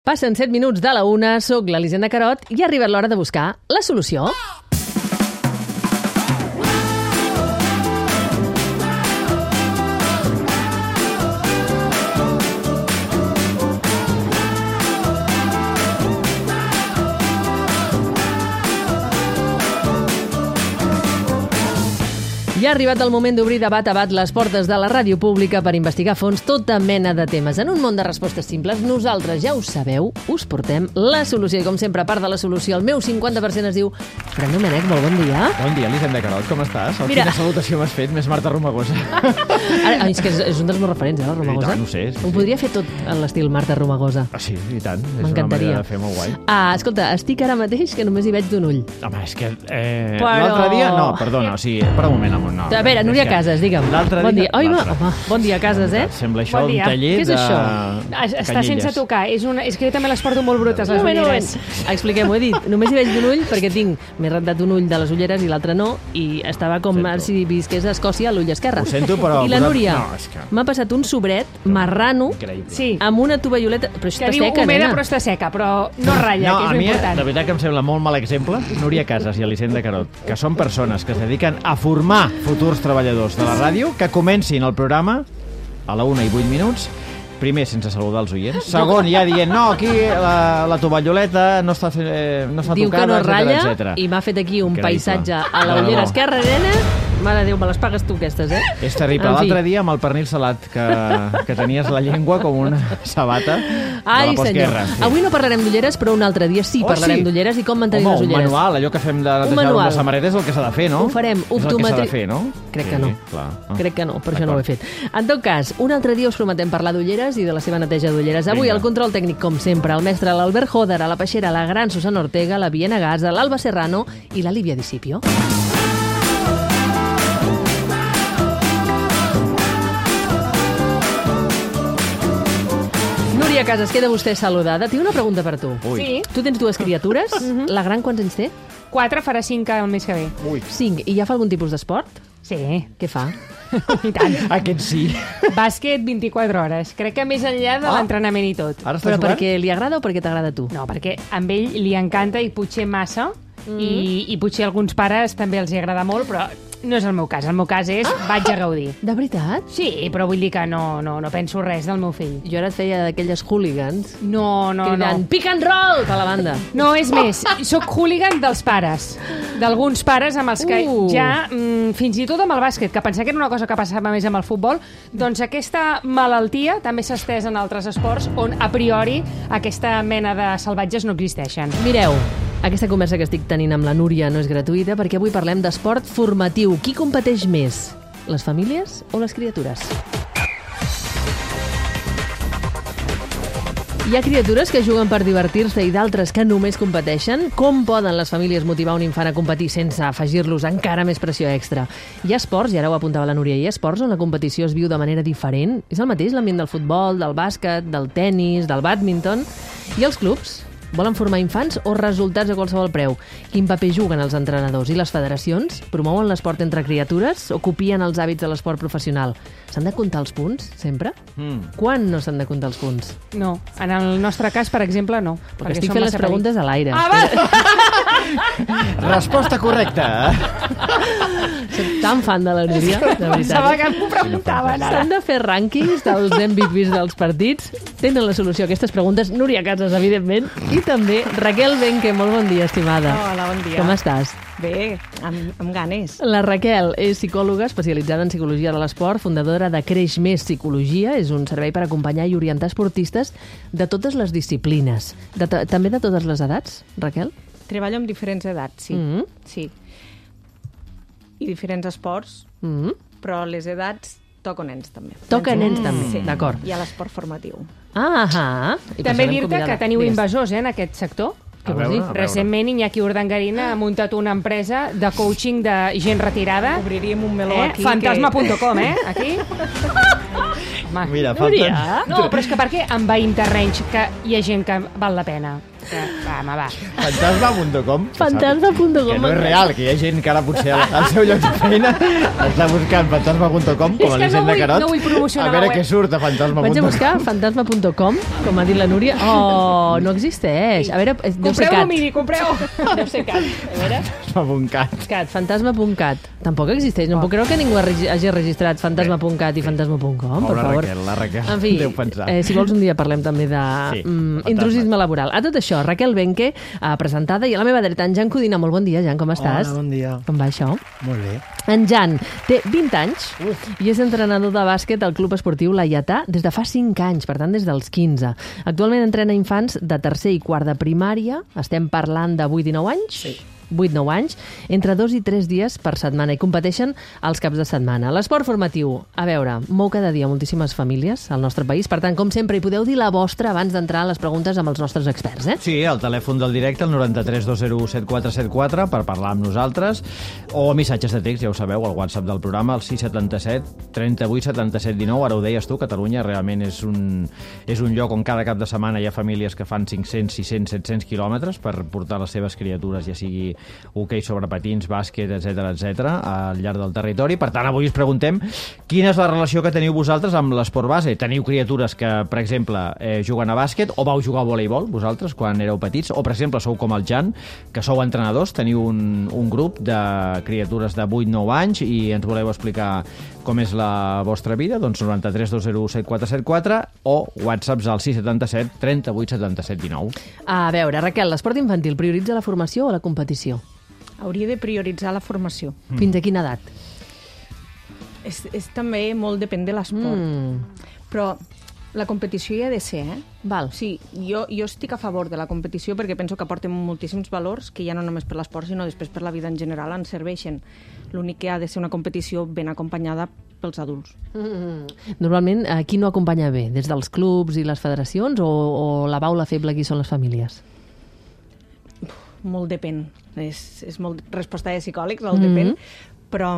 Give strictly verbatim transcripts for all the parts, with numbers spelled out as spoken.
Passen set minuts de la una, soc l'Elisenda Carot i ha arribat l'hora de buscar la solució. I ha arribat el moment d'obrir de bat a bat les portes de la ràdio pública per investigar a fons tota mena de temes. En un món de respostes simples, nosaltres, ja ho sabeu, us portem la solució. I com sempre, a part de la solució, el meu cinquanta per cent es diu Fran Domènech, molt bon dia. Bon dia, Elisenda Carot, com estàs? Mira. Quina salutació m'has fet, més Marta Romagosa. Ara, és que és, és un dels meus referents, eh, la Romagosa. I tant, ho sé, sí, Ho podria fer tot en l'estil Marta Romagosa. Ah, sí, i tant. És una M'encantaria. manera de fer molt guai. Ah, escolta, estic ara mateix que només hi veig d'un ull. Home, és que... Eh, Però- L'altre dia... No, perdona, o sigui, per un moment, amor, no. A veure, Núria és que Casas, digue'm. L'altre Bon dia... dia. Oi, va, l'altre. home, bon dia, Casas, eh? Sembla això Bon un dia. taller Què és de... això? Es- Està canyelles. sense tocar. És una... És que jo també les porto molt brutes, les Un moment, un ulleres. moment. Expliquem-ho, he dit. Només hi veig d'un ull perquè tinc... M'he rentat un ull de les ulleres i l'altre no, i estava com Sento. si visqués a Escòcia a l'ull esquerre. Ho sento, però... I la posat- Núria No, és que... m'ha passat un sobret marrano Increïble. Sí, amb una tovalloleta... Però que està diu seca, humeda nena. però està seca, però no ratlla, No, que a és mi, important. de veritat que em sembla molt mal exemple, Núria Casas i Elisenda Carot, que són persones que es dediquen a formar futurs treballadors de la ràdio, que comencin el programa a la una i vuit minuts, primer sense saludar els oients, segon ja dient, no, aquí la, la tovalloleta no està, fe, eh, no està Diu que tocada, no ratlla etcètera. i m'ha fet aquí un Increïble. paisatge a la De ullera debò. esquerra, nena. Mare de Déu, me les pagues tu, aquestes, eh? És terrible. En fi. L'altre dia amb el pernil salat, que, que tenies la llengua com una sabata de Ai, la senyor. postguerra. Sí. Avui no parlarem d'ulleres, però un altre dia sí Oh, parlarem sí? d'ulleres i com mantenir Home, les un ulleres. manual, allò que fem de netejar manual. una samarreta és el que s'ha de fer, no? Ho farem, És el que s'ha optometri- de fer, no? Crec Sí, que no. Clar. Ah. Crec que no, per això no ho he fet. En tot cas, un altre dia us prometem parlar d'ulleres i de la seva neteja d'ulleres. Avui Vinga. el control tècnic, com sempre, el mestre l'Albert Joder, a la Peixera, la gran Susana Ortega, la Viena Gaza, l'Alba Serrano i la Lívia Discipio. Núria Casas, queda vostè saludada. Tinc una pregunta per tu. Ui. Sí, Tu tens dues criatures. La gran quants anys té? quatre farà cinc el mes que ve. Ui. Cinc. I ja fa algun tipus d'esport? Sí, Què fa? i tant. Aquest sí. Bàsquet vint-i-quatre hores. Crec que més enllà de Ah. l'entrenament i tot. Ara estàs Però jugant? perquè li agrada o perquè t'agrada a tu? No, perquè amb ell li encanta i potser massa, i, i potser a alguns pares també els hi agrada molt, però no és el meu cas. El meu cas és vaig a gaudir. De veritat? Sí, però vull dir que no, no, no penso res del meu fill. Jo ara et feia d'aquelles hooligans No, no, cridant no. pick and roll per la banda. No, és més, sóc hooligan dels pares. D'alguns pares amb els que Uh. ja, mm, fins i tot amb el bàsquet, que pensava que era una cosa que passava més amb el futbol, doncs aquesta malaltia també s'ha estès en altres esports on, a priori, aquesta mena de salvatges no existeixen. Mireu, aquesta conversa que estic tenint amb la Núria no és gratuïta perquè avui parlem d'esport formatiu. Qui competeix més? Les famílies o les criatures? Hi ha criatures que juguen per divertir-se i d'altres que només competeixen. Com poden les famílies motivar un infant a competir sense afegir-los encara més pressió extra? Hi ha esports, i ara ho apuntava la Núria, hi ha esports on la competició es viu de manera diferent? És el mateix l'ambient del futbol, del bàsquet, del tennis, del bàdminton? I els clubs? Volen formar infants o resultats a qualsevol preu? Quin paper juguen els entrenadors i les federacions? Promouen l'esport entre criatures o copien els hàbits de l'esport professional? S'han de comptar els punts, sempre? Mm. Quan no s'han de comptar els punts? No, en el nostre cas, per exemple, no. Perquè estic fent les preguntes a l'aire. Ah, va! Resposta correcta. Soc tan fan de la Núria, de Pensava veritat. que m'ho preguntaven ara. S'han de fer rànquings dels M V Ps dels partits. Tenen la solució a aquestes preguntes. Núria Casas, evidentment, i també Raquel Benque. Molt bon dia, estimada. Hola, bon dia. Com estàs? Bé, amb, amb ganes. La Raquel és psicòloga especialitzada en psicologia de l'esport, fundadora de Creix Més Psicologia. És un servei per acompanyar i orientar esportistes de totes les disciplines. De també de totes les edats, Raquel? Treballo amb diferents edats, sí. Mm -hmm. sí. I diferents esports, Mm -hmm. però les edats toco nens també. Toca Nens nens també, sí. d'acord. I a l'esport formatiu. Ah, ah. I per També això l'hem dir-te que convidada. teniu Digues. invasors, eh, en aquest sector. Què A vols veure, dir? a veure. Recentment, Iñaki Urdangarín ha muntat una empresa de coaching de gent retirada. Obriríem un meló Eh? aquí. Fantasma punt com, eh? Aquí. Home. Mira, Núria. falten... No, però és que per què envaïm terrenys que hi ha gent que val la pena? Va, home, va. Fantasma punt com. Fantasma punt com. Que no és real, que hi ha gent que ara potser al seu lloc de feina està buscant fantasma punt com, com És a que l'Hisenda no vull- Carot. no vull promocionar a veure la web. què surt a fantasma punt com. Vaig a buscar fantasma punt com, com ha dit la Núria. Oh, no existeix. A veure, eh, deu ser Compreu cat. domini, compreu. Deu ser cat. A veure. Fantasma.cat. Cat, fantasma punt cat. Tampoc existeix. No puc creure que ningú hagi hagi registrat fantasma punt cat i fantasma punt com, per Pobra favor. Raquel, la Raquel. En fi, Deu pensar. eh, si vols un dia parlem també de Sí, mm, fantasmes. intrusisme laboral. A tot això, Raquel Benque, eh, presentada, i a la meva dreta, en Jan Codina. Molt bon dia, Jan, com estàs? Hola, bon dia. Com va això? Molt bé. En Jan té vint anys i és entrenador de bàsquet al Club Esportiu Laietà des de fa cinc anys, per tant, des dels quinze. Actualment entrena infants de tercer i quart de primària. Estem parlant de vuit i nou anys? Sí. vuit nou anys, entre dos i tres dies per setmana, i competeixen els caps de setmana. L'esport formatiu, a veure, mou cada dia moltíssimes famílies al nostre país, per tant, com sempre, hi podeu dir la vostra abans d'entrar a les preguntes amb els nostres experts, eh? Sí, el telèfon del directe, el noranta-tres dos zero set quatre set quatre, per parlar amb nosaltres, o missatges de text, ja ho sabeu, al WhatsApp del programa, el sis setanta set trenta vuit setanta set dinou. Ara ho deies tu, Catalunya realment és un, és un lloc on cada cap de setmana hi ha famílies que fan cinc-cents, sis-cents, set-cents quilòmetres per portar les seves criatures, ja sigui hoquei sobre patins, bàsquet, etcètera, etcètera, al llarg del territori. Per tant, avui us preguntem quina és la relació que teniu vosaltres amb l'esport base. Teniu criatures que, per exemple, eh, juguen a bàsquet, o vau jugar a voleibol, vosaltres, quan éreu petits, o, per exemple, sou com el Jan, que sou entrenadors, teniu un, un grup de criatures de vuit nou anys i ens voleu explicar com és la vostra vida, doncs noranta-tres dos zero set quatre set quatre o whatsapps al sis setanta set trenta vuit setanta set dinou. A veure, Raquel, l'esport infantil prioritza la formació o la competició? Hauria de prioritzar la formació. Mm. Fins a quina edat? És, és també molt depèn de l'esport. Mm. Però la competició hi ha de ser, eh? Val. Sí, jo, jo estic a favor de la competició perquè penso que aporten moltíssims valors que ja no només per l'esport, sinó després per la vida en general ens serveixen. L'únic que ha de ser una competició ben acompanyada pels adults. Mm. Normalment, eh, qui no acompanya bé? Des dels clubs i les federacions o, o la baula feble qui són les famílies? Molt depèn. És, és molt resposta de psicòlegs, el Mhm. depèn. Però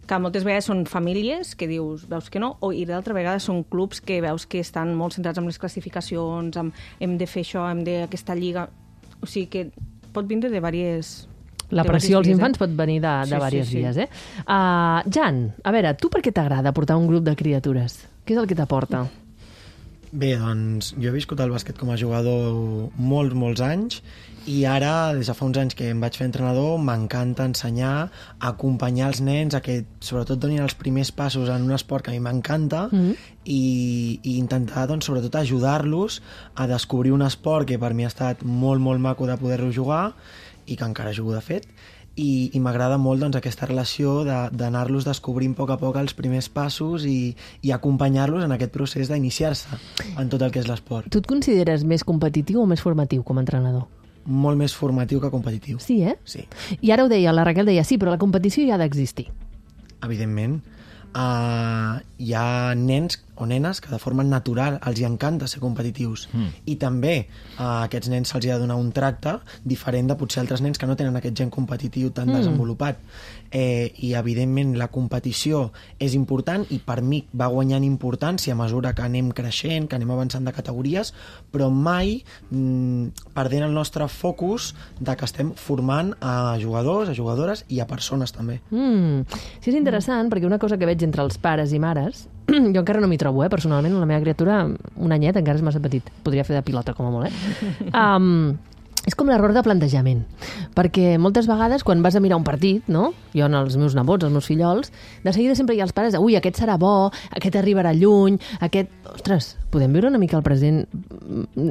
que moltes vegades són famílies que dius, veus que no, o, i d'altra vegada són clubs que veus que estan molt centrats en les classificacions, amb hem de fer això, hem de aquesta lliga... O sigui que pot vindre de diverses... La de pressió als diverses vies, infants eh? pot venir de, de Sí, sí, diverses sí. vies, eh? Uh, Jan, a veure, tu per què t'agrada portar un grup de criatures? Què és el que t'aporta? Bé, doncs jo he viscut el bàsquet com a jugador molts, molts anys i ara, des de fa uns anys que em vaig fer entrenador, m'encanta ensenyar, acompanyar els nens a que sobretot donin els primers passos en un esport que a mi m'encanta Mhm. i, i intentar, doncs, sobretot ajudar-los a descobrir un esport que per mi ha estat molt, molt maco de poder-lo jugar i que encara jugo de fet, i, i m'agrada molt doncs, aquesta relació de- d'anar-los descobrint a poc a poc els primers passos i, i acompanyar-los en aquest procés d'iniciar-se en tot el que és l'esport. Tu et consideres més competitiu o més formatiu com a entrenador? Molt més formatiu que competitiu. Sí, eh? Sí, I ara ho deia, la Raquel deia, sí, però la competició ja ha d'existir. evidentment. Uh, hi ha nens o nenes que de forma natural els hi encanta ser competitius Mm. i també a aquests nens se'ls hi ha de donar un tracte diferent de potser altres nens que no tenen aquest gen competitiu tan Mm. desenvolupat, eh, i evidentment la competició és important i per mi va guanyant importància a mesura que anem creixent, que anem avançant de categories, però mai mm, perdent el nostre focus de que estem formant a jugadors, a jugadores i a persones també. Mm. Sí, és interessant, perquè una cosa que veig entre els pares i mares, jo encara no m'hi trobo, eh, personalment, la meva criatura, un anyet, encara és massa petit. Podria fer de pilota, com a molt, eh? Um, és com l'error de plantejament, perquè moltes vegades quan vas a mirar un partit, no? Jo en els meus nebots, els meus fillols, de seguida sempre hi ha els pares de, ui, aquest serà bo, aquest arribarà lluny, aquest... Ostres, podem viure una mica el present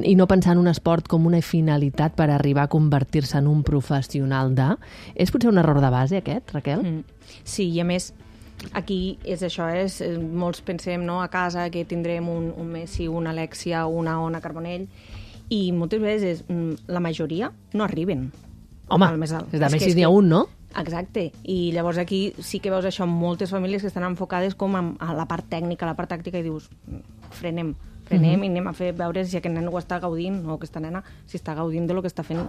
i no pensar en un esport com una finalitat per arribar a convertir-se en un professional de... És potser un error de base, aquest, Raquel? Mm. Sí, i a més, aquí és això, és, eh, molts pensem no, a casa que tindrem un, un Messi, una Alexia, una Ona Carbonell, i moltes vegades mm, la majoria no arriben Home, al més alt. és de És Messi que- és n'hi ha que- un, no? Exacte, i llavors aquí sí que veus això, moltes famílies que estan enfocades com a, a la part tècnica, a la part tàctica, i dius, frenem, frenem Mhm. i anem a fer veure si aquest nen ho està gaudint, o aquesta nena, si està gaudint de lo que està fent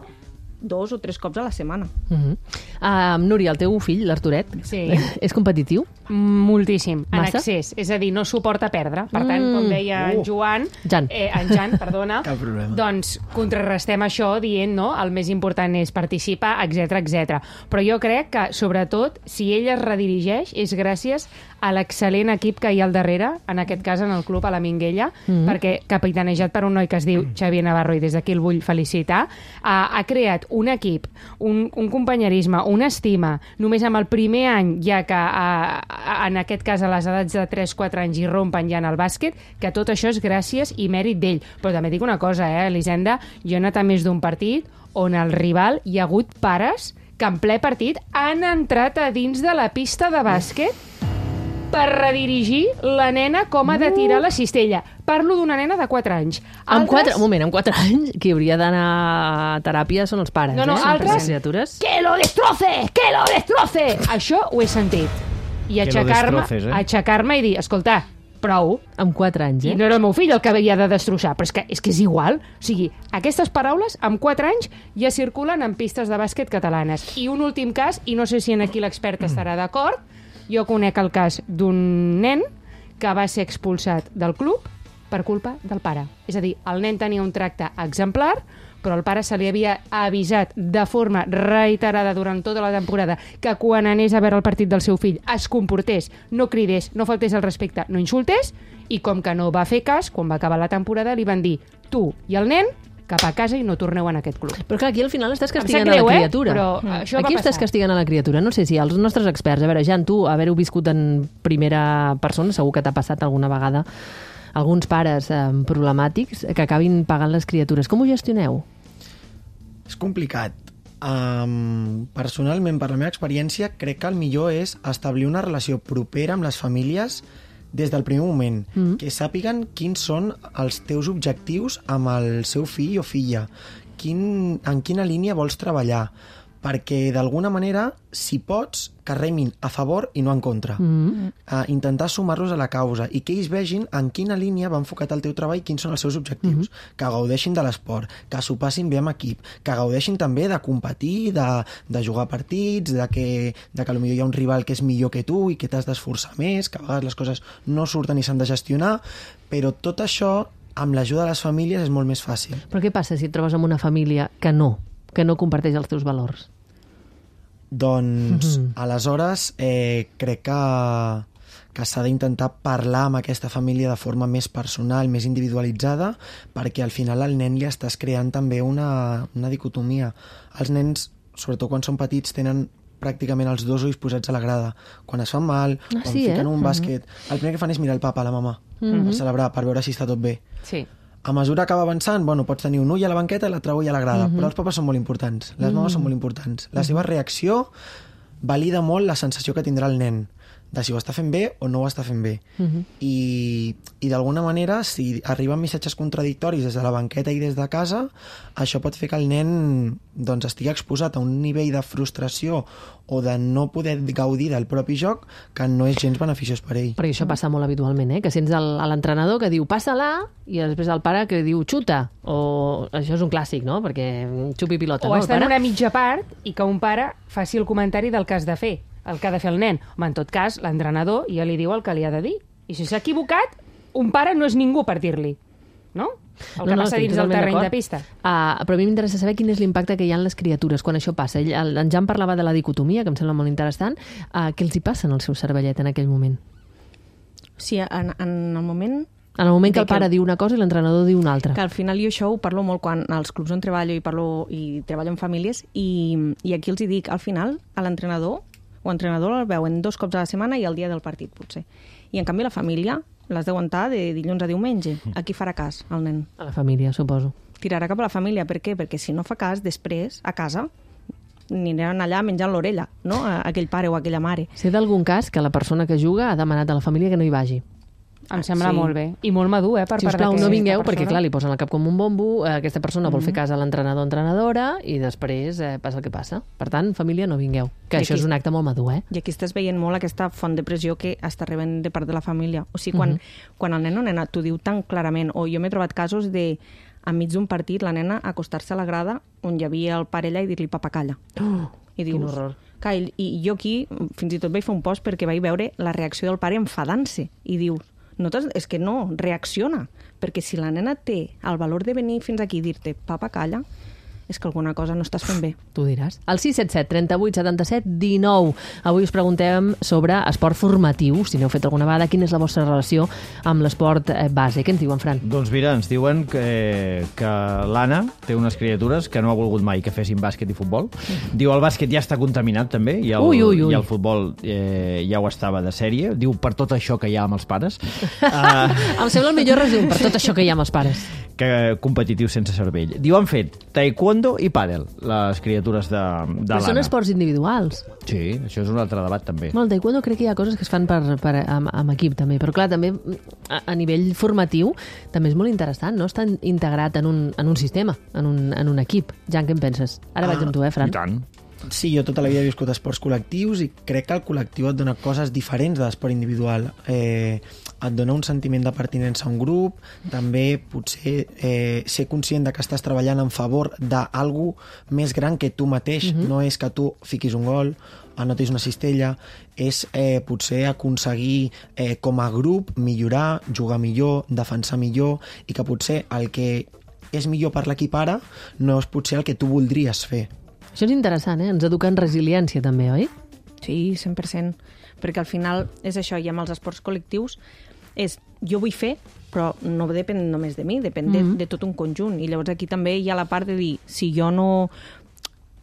dos o tres cops a la setmana. Uh -huh. uh, Núria, el teu fill, l'Arturet, Sí. és competitiu? Moltíssim, en Massa? excés. És a dir, no suporta perdre. Per tant, Mm. com deia en Uh. Joan... Jan. Eh, en Jan, perdona. Cap problema. Doncs contrarrestem això dient, no?, el més important és participar, etcètera, etcètera. Però jo crec que, sobretot, si ell es redirigeix, és gràcies a l'excel·lent equip que hi ha al darrere, en aquest cas en el club, a la Minguella, Mm. perquè capitanejat per un noi que es diu Xavier Navarro, i des d'aquí el vull felicitar, ha, ha creat un equip, un, un companyerisme, una estima, només amb el primer any, ja que a, a, en aquest cas a les edats de tres quatre anys hi rompen ja en el bàsquet, que tot això és gràcies i mèrit d'ell. Però també dic una cosa, eh, Elisenda, jo he anat a més d'un partit on el rival hi ha hagut pares que en ple partit han entrat a dins de la pista de bàsquet per redirigir la nena com ha de tirar la cistella. Parlo d'una nena de quatre anys. Amb quatre, un moment, amb quatre anys, qui hauria d'anar a teràpia són els pares, No, no, eh? Són altres- les criatures. Que lo destroce! Que lo destroce! Això ho he sentit. I Que lo aixecar-me destroces, eh? aixecar-me i dir, escolta, prou. Amb quatre anys, I eh? no era el meu fill el que havia de destrossar, però és que és, que és igual. O sigui, aquestes paraules, amb quatre anys, ja circulen en pistes de bàsquet catalanes. I un últim cas, i no sé si en aquí l'expert estarà d'acord, jo conec el cas d'un nen que va ser expulsat del club per culpa del pare. És a dir, el nen tenia un tracte exemplar, però el pare se li havia avisat de forma reiterada durant tota la temporada que quan anés a veure el partit del seu fill es comportés, no cridés, no faltés al respecte, no insultés, i com que no va fer cas, quan va acabar la temporada li van dir tu i el nen cap a casa i no torneu en aquest club. Però clar, aquí al final estàs Em castigant sap greu, a la eh? criatura. Però això va Aquí estàs passar. castigant a la criatura. No sé si els nostres experts... A veure, Jan, tu, haver-ho viscut en primera persona, segur que t'ha passat alguna vegada alguns pares eh, problemàtics que acabin pagant les criatures. Com ho gestioneu? És complicat. Um, personalment, per la meva experiència, crec que el millor és establir una relació propera amb les famílies des del primer moment, mm. que sàpiguen quins són els teus objectius amb el seu fill o filla, quin, en quina línia vols treballar, perquè d'alguna manera, si pots, que remin a favor i no en contra. Mm. Uh, intentar sumar-los a la causa i que ells vegin en quina línia va enfocat el teu treball i quins són els seus objectius. Mm-hmm. Que gaudeixin de l'esport, que s'ho passin bé amb equip, que gaudeixin també de competir, de, de jugar partits, de que, de que potser hi ha un rival que és millor que tu i que t'has d'esforçar més, que a vegades les coses no surten i s'han de gestionar, però tot això, amb l'ajuda de les famílies, és molt més fàcil. Però què passa si et trobes amb una família que no, que no comparteix els teus valors? Doncs, Mhm. aleshores, eh, crec que, que s'ha d'intentar parlar amb aquesta família de forma més personal, més individualitzada, perquè al final al nen li estàs creant també una, una dicotomia. Els nens, sobretot quan són petits, tenen pràcticament els dos ulls posats a la grada. Quan es fan mal, Ah, quan sí, fiquen eh? un Mhm. bàsquet, el primer que fan és mirar el papa, la mama, Mhm. per celebrar, per veure si està tot bé. Sí. A mesura que va avançant, bueno, pots tenir un ull a la banqueta i l'altre ull a la grada, Mhm. però els papes són molt importants, les mames són molt importants. La seva reacció valida molt la sensació que tindrà el nen, de si ho està fent bé o no ho està fent bé. Mhm. I, i d'alguna manera, si arriben missatges contradictoris des de la banqueta i des de casa, això pot fer que el nen doncs, estigui exposat a un nivell de frustració o de no poder gaudir del propi joc que no és gens beneficiós per ell. Perquè això passa molt habitualment, eh? Que sents el- a l'entrenador que diu passa-la i després el pare que diu xuta. O això és un clàssic, no? Perquè xupi pilota, O no? El està en pare? una mitja part i que un pare faci el comentari del que has de fer, el que ha de fer el nen. Home, en tot cas, l'entrenador ja li diu el que li ha de dir. I si s'ha equivocat, un pare no és ningú per dir-li, no? El que passa estic dins del totalment terreny de d'acord. pista. Uh, però a mi m'interessa saber quin és l'impacte que hi ha en les criatures quan això passa. Ell, el, en Jan parlava de la dicotomia, que em sembla molt interessant. Uh, què els hi passa en el seu cervellet en aquell moment? Sí, en, en el moment En el moment que De el pare que- diu una cosa i l'entrenador diu una altra. que al final jo això ho parlo molt quan als clubs on treballo i parlo i treballo amb famílies i, i aquí els hi dic, al final a l'entrenador o entrenador el veuen dos cops a la setmana i el dia del partit potser. I en canvi la família l'has d'aguantar de dilluns a diumenge. A qui farà cas, el nen? A la família, suposo. Tirarà cap a la família. Per què? Perquè si no fa cas, després, a casa, aniran allà menjant l'orella, no? A aquell pare o aquella mare. Sé d'algun cas que la persona que juga ha demanat a la família que no hi vagi. Em sembla Sí. molt bé. I molt madur, eh, per Si us part plau, no d'aquesta vingueu, persona. perquè clar, li posen el cap com un bombo, eh, aquesta persona vol fer cas a l'entrenador o entrenadora i després eh, passa el que passa. Per tant, família, no vingueu. Que I això aquí- és un acte molt madur, eh? I aquí estàs veient molt aquesta font de pressió que està rebent de part de la família. O sigui, quan, Mhm. quan el nen o nena t'ho diu tan clarament, o jo m'he trobat casos de enmig d'un partit, la nena acostar-se a la grada on hi havia el pare allà i dir-li papa, calla. Oh, I dius, quin horror. Clar, i, i jo aquí fins i tot vaig fer un post perquè vaig veure la reacció del pare enfadant-se i dius, no és que no, reacciona, perquè si la nena té el valor de venir fins aquí i dir-te papa, calla, és que alguna cosa no estàs fent bé. Tu diràs. El sis set set, trenta-vuit, setanta-set, dinou. Avui us preguntem sobre esport formatiu. Si n'heu fet alguna vegada, quina és la vostra relació amb l'esport base? Què ens diuen, Fran? Doncs mira, ens diuen que, que l'Anna té unes criatures que no ha volgut mai que fessin bàsquet i futbol. Diu el bàsquet ja està contaminat també i el, ui, ui, ui. i el futbol eh, ja ho estava de sèrie. Diu per tot això que hi ha amb els pares. uh, Em sembla el millor resum per tot això que hi ha amb els pares. Que competitiu sense cervell. Diu, han fet taekwondo i pàdel, les criatures de, de Però són l'Anna. esports individuals. Sí, això és un altre debat també. Bueno, el taekwondo crec que hi ha coses que es fan per, per, amb, amb equip també, però clar, també a, a nivell formatiu també és molt interessant, no? Està integrat en un, en un sistema, en un, en un equip. Jan, què en penses? Ara Ah, vaig amb tu, eh, Fran? I tant. Sí, jo tota la vida he viscut esports col·lectius i crec que el col·lectiu et dona coses diferents de l'esport individual. Eh, et dona un sentiment de pertinença a un grup, també potser eh, ser conscient de que estàs treballant en favor d'algú més gran que tu mateix. Uh-huh. No és que tu fiquis un gol, anotis una cistella, és eh, potser aconseguir eh, com a grup millorar, jugar millor, defensar millor, i que potser el que és millor per l'equip ara no és potser el que tu voldries fer. Això és interessant, eh? Ens educa en resiliència també, oi? Sí, cent per cent. Perquè al final és això, i amb els esports col·lectius és, jo vull fer, però no depèn només de mi, depèn mm-hmm. de, de tot un conjunt. I llavors aquí també hi ha la part de dir, si jo no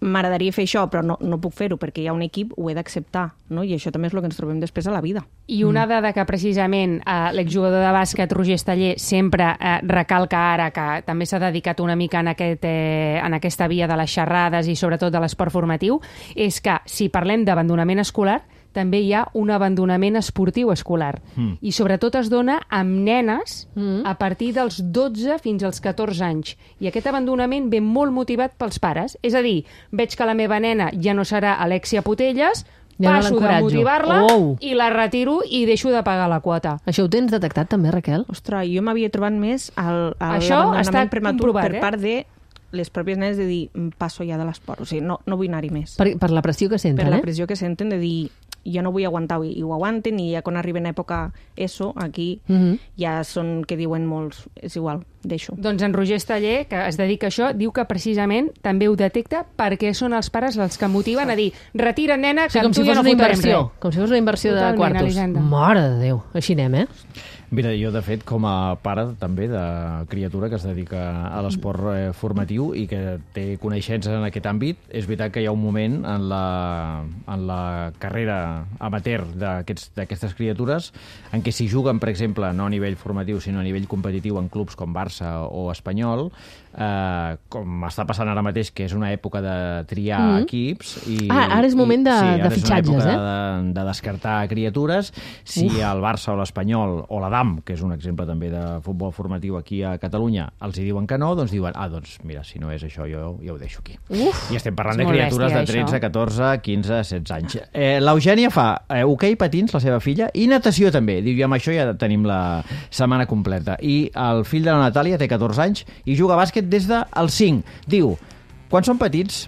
m'agradaria fer això, però no, no puc fer-ho perquè hi ha un equip, ho he d'acceptar, no? I això també és el que ens trobem després a la vida. I una dada que precisament eh, l'exjugador de bàsquet Roger Esteller sempre eh, recalca ara, que també s'ha dedicat una mica en, aquest, eh, en aquesta via de les xerrades i sobretot de l'esport formatiu, és que si parlem d'abandonament escolar, també hi ha un abandonament esportiu escolar. Mm. I sobretot es dona amb nenes mm. a partir dels dotze fins als catorze anys. I aquest abandonament ve molt motivat pels pares. És a dir, veig que la meva nena ja no serà Alexia Putelles, ja passo no de motivar-la oh. i la retiro i deixo de pagar la quota. Això ho tens detectat també, Raquel? Ostres, jo m'havia trobat més al, al Això està prematur comprovat, per eh? part de les pròpies nenes de dir, passo ja de l'esport, o sigui, no, no vull anar-hi més. Per, per la pressió que senten, per eh? la pressió que senten de dir, jo no vull aguantar i, i ho aguanten, i ja quan arriben a època ESO, aquí Mm-hmm. ja són que diuen molts, és igual, deixo. Doncs en Roger Esteller, que es dedica a això, diu que precisament també ho detecta perquè són els pares els que motiven a dir, retira, nena, O que sigui, com amb tu si ja fos no una fotrem inversió, res. com si fos una inversió de Totalment, quartos. Elisenda. Mare de Déu, així anem, eh? Mira, jo, de fet, com a pare també de criatura que es dedica a l'esport eh, formatiu i que té coneixences en aquest àmbit, és veritat que hi ha un moment en la, en la carrera amateur d'aquestes criatures en què si juguen, per exemple, no a nivell formatiu, sinó a nivell competitiu en clubs com Barça o Espanyol, eh, com està passant ara mateix, que és una època de triar Mm. equips... I, Ah, ara és moment de- i, sí, de ara fitxatges, és una eh? època de, de descartar criatures. Si Uf. el Barça o l'Espanyol o la D A M, que és un exemple també de futbol formatiu aquí a Catalunya, els hi diuen que no, doncs diuen, ah, doncs mira, si no és això, jo ja ho deixo aquí. Uf, I estem parlant és de molt criatures bèstia, de tretze, això. catorze, quinze, setze anys. Eh, L'Eugènia fa eh, hoquei patins, la seva filla, i natació també. Diu, i amb això ja tenim la setmana completa. I el fill de la Natàlia té catorze anys i juga a bàsquet des dels cinc. Diu, quan són petits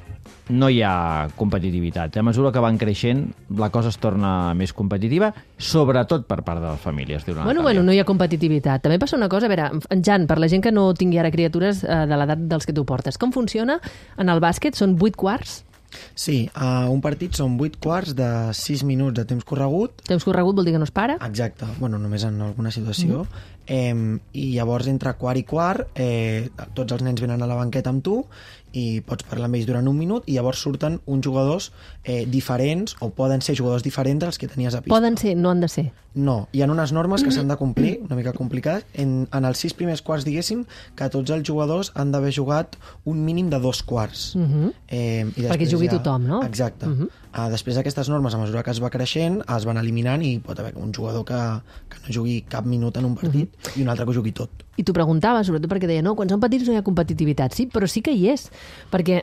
no hi ha competitivitat. A mesura que van creixent, la cosa es torna més competitiva, sobretot per part de les famílies, diu la Bueno, Natàlia. bueno, no hi ha competitivitat. També passa una cosa, a veure, en Jan, per la gent que no tingui ara criatures eh, de l'edat dels que tu portes, com funciona en el bàsquet? Són vuit quarts? Sí, uh, un partit són vuit quarts de sis minuts de temps corregut. Temps corregut vol dir que no es para? Exacte, bueno, només en alguna situació. Mm. Eh, I llavors, entre quart i quart, eh, tots els nens venen a la banqueta amb tu i pots parlar amb ells durant un minut i llavors surten uns jugadors eh, diferents, o poden ser jugadors diferents dels que tenies a pista. Poden ser, no han de ser. No, hi ha unes normes que s'han de complir, una mica complicades. En, en els sis primers quarts, diguéssim, que tots els jugadors han d'haver jugat un mínim de dos quarts. Uh -huh. eh, i Perquè jugui tothom, no? Exacte. Uh -huh. uh, després d'aquestes normes, a mesura que es va creixent, es van eliminant i pot haver un jugador que, que no jugui cap minut en un partit uh -huh. i un altre que ho jugui tot. I t'ho preguntava, sobretot perquè deia, no, quan són petits no hi ha competitivitat. Sí, però sí que hi és. Perquè,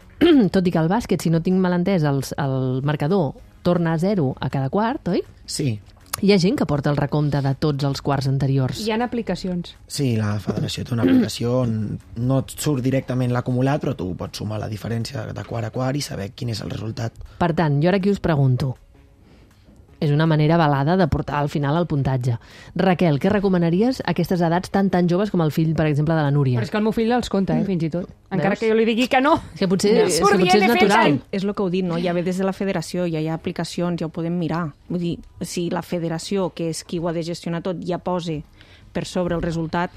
tot i que el bàsquet, si no tinc mal entès, el, el marcador torna a zero a cada quart, oi? Sí. Hi ha gent que porta el recompte de tots els quarts anteriors. Hi ha aplicacions. Sí, la federació té una aplicació on no et surt directament l'acumulat, però tu pots sumar la diferència de quart a quart i saber quin és el resultat. Per tant, jo ara aquí us pregunto. És una manera avalada de portar al final el puntatge. Raquel, què recomanaries a aquestes edats tan tan joves com el fill, per exemple, de la Núria? Però és que el meu fill els compta, eh, fins i tot. Encara Veus? que jo li digui que no. És que potser, Ja. és, que Surt potser és dient natural. defensa. És el que heu dit, no? Ja ve des de la federació, ja hi ha aplicacions, ja ho podem mirar. Vull dir, si la federació, que és qui ho ha de gestionar tot, ja posa per sobre el resultat,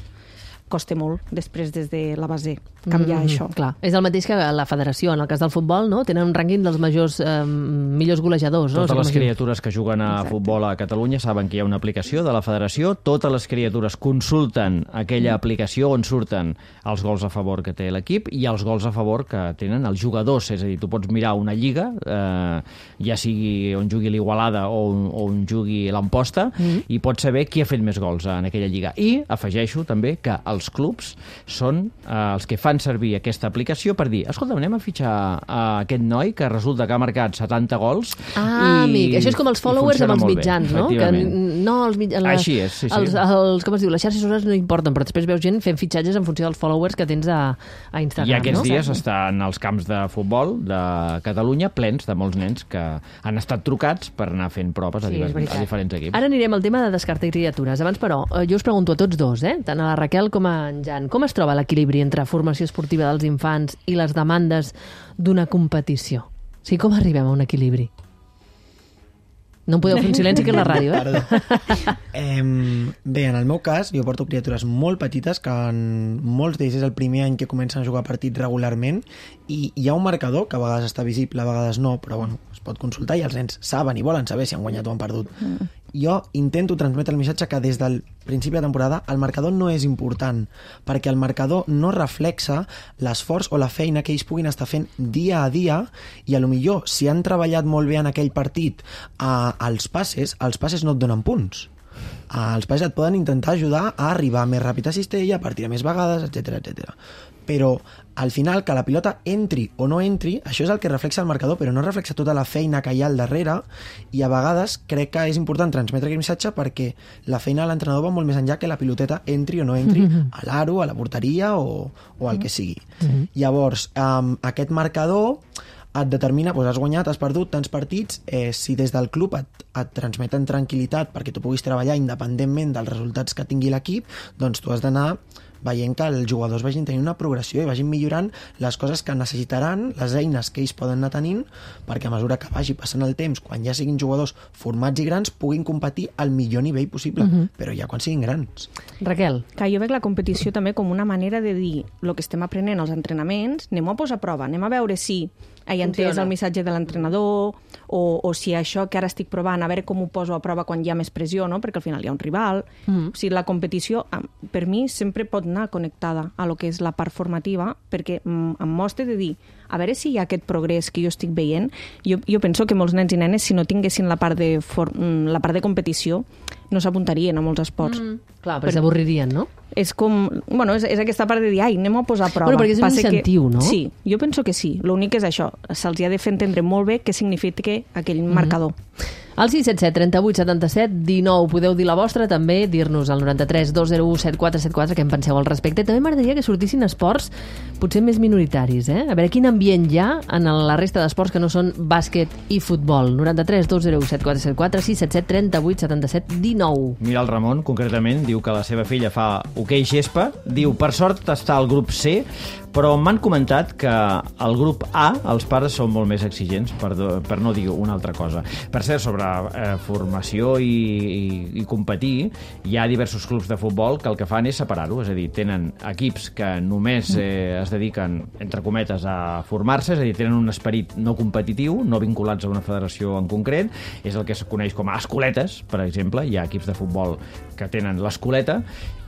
costa molt després des de la base canviar Mm, això. Clar, és el mateix que la federació. En el cas del futbol, no? Tenen un rànquing dels majors eh, millors golejadors. No? Totes les Com es diu? criatures que juguen a Exacte. futbol a Catalunya saben que hi ha una aplicació de la federació. Totes les criatures consulten aquella aplicació on surten els gols a favor que té l'equip i els gols a favor que tenen els jugadors. És a dir, tu pots mirar una lliga, eh, ja sigui on jugui l'Igualada o, on- o on jugui l'Amposta, mm. i pots saber qui ha fet més gols en aquella lliga. I afegeixo també que els clubs són eh, els que fan servir aquesta aplicació per dir, escolta, anem a fitxar a aquest noi que resulta que ha marcat setanta gols. Ah, i, amic, això és com els i followers amb funciona els molt bé, mitjans, no? Que efectivament. no, els mitjans... Així és, sí, sí. Els, els, com es diu, les xarxes socials no importen, però després veus gent fent fitxatges en funció dels followers que tens a, a Instagram, I aquests no? dies estan els camps de futbol de Catalunya plens de molts nens que han estat trucats per anar fent proves a, Sí, és diver- veritat. a diferents equips. Ara anirem al tema de descartar criatures. Abans, però, eh, jo us pregunto a tots dos, eh? tant a la Raquel com a en Jan, com es troba l'equilibri entre formació esportiva dels infants i les demandes d'una competició? O sigui, com arribem a un equilibri? No em podeu fer un silenci, que és la ràdio, eh? Perdó. Eh, bé, en el meu cas, jo porto criatures molt petites que en molts d'ells és el primer any que comencen a jugar partits regularment i hi ha un marcador que a vegades està visible, a vegades no, però bueno, es pot consultar i els nens saben i volen saber si han guanyat o han perdut. Mm. Jo intento transmetre el missatge que des del principi de temporada el marcador no és important, perquè el marcador no reflexa l'esforç o la feina que ells puguin estar fent dia a dia i a lo millor si han treballat molt bé en aquell partit eh, els passes, els passes no et donen punts. Eh, els passes et poden intentar ajudar a arribar més ràpid a cistella, a partir de més vegades, etcètera, etcètera. Però al final que la pilota entri o no entri, això és el que reflexa el marcador, però no reflexa tota la feina que hi ha al darrere i a vegades crec que és important transmetre aquest missatge perquè la feina de l'entrenador va molt més enllà que la piloteta entri o no entri a l'aro, a la porteria o, o al que sigui. Llavors, um, aquest marcador et determina, doncs has guanyat, has perdut tants partits, eh, si des del club et, et transmeten tranquil·litat perquè tu puguis treballar independentment dels resultats que tingui l'equip, doncs tu has d'anar veient que els jugadors vagin tenint una progressió i vagin millorant les coses que necessitaran, les eines que ells poden anar tenint, perquè a mesura que vagi passant el temps, quan ja siguin jugadors formats i grans, puguin competir al millor nivell possible, uh-huh. però ja quan siguin grans. Raquel. Que jo veig la competició també com una manera de dir el que estem aprenent als entrenaments, anem a posar a prova, anem a veure si he entès el missatge de l'entrenador o, o si això que ara estic provant, a veure com ho poso a prova quan hi ha més pressió, no? Perquè al final hi ha un rival. Mm. O sigui, la competició, per mi, sempre pot anar connectada a lo que és la part formativa, perquè em mostra de dir, a veure si hi ha aquest progrés que jo estic veient. Jo, jo penso que molts nens i nenes, si no tinguessin la part de, for, la part de competició, no s'apuntarien a molts esports. Mm. Clar, però s'avorririen, no? És com... Bueno, és, és aquesta part de dir, ai, anem a posar a prova. Bueno, perquè és un Passa incentiu, que, no? Sí, jo penso que sí. L'únic és això. Se'ls ha de fer entendre molt bé què significa aquell mm-hmm. marcador. Al sis set set, trenta-vuit, setanta-set, dinou. Podeu dir la vostra, també dir-nos al noranta-tres dos zero u set quatre set quatre què en penseu al respecte. També m'agradaria que sortissin esports potser més minoritaris, eh? A veure quin ambient hi ha en la resta d'esports que no són bàsquet i futbol. noranta-tres dos zero u set quatre set quatre, sis set set, trenta-vuit, setanta-set, dinou. Mira, el Ramon, concretament, diu que la seva filla fa hoquei gespa. Diu, per sort està al grup C, però m'han comentat que al grup A els pares són molt més exigents, per, per no dir una altra cosa. Per cert, sobre eh, formació i, i, i competir, hi ha diversos clubs de futbol que el que fan és separar-ho, és a dir, tenen equips que només eh, es dediquen, entre cometes, a formar-se, és a dir, tenen un esperit no competitiu, no vinculats a una federació en concret, és el que es coneix com a escoletes, per exemple, hi ha equips de futbol que tenen l'escoleta,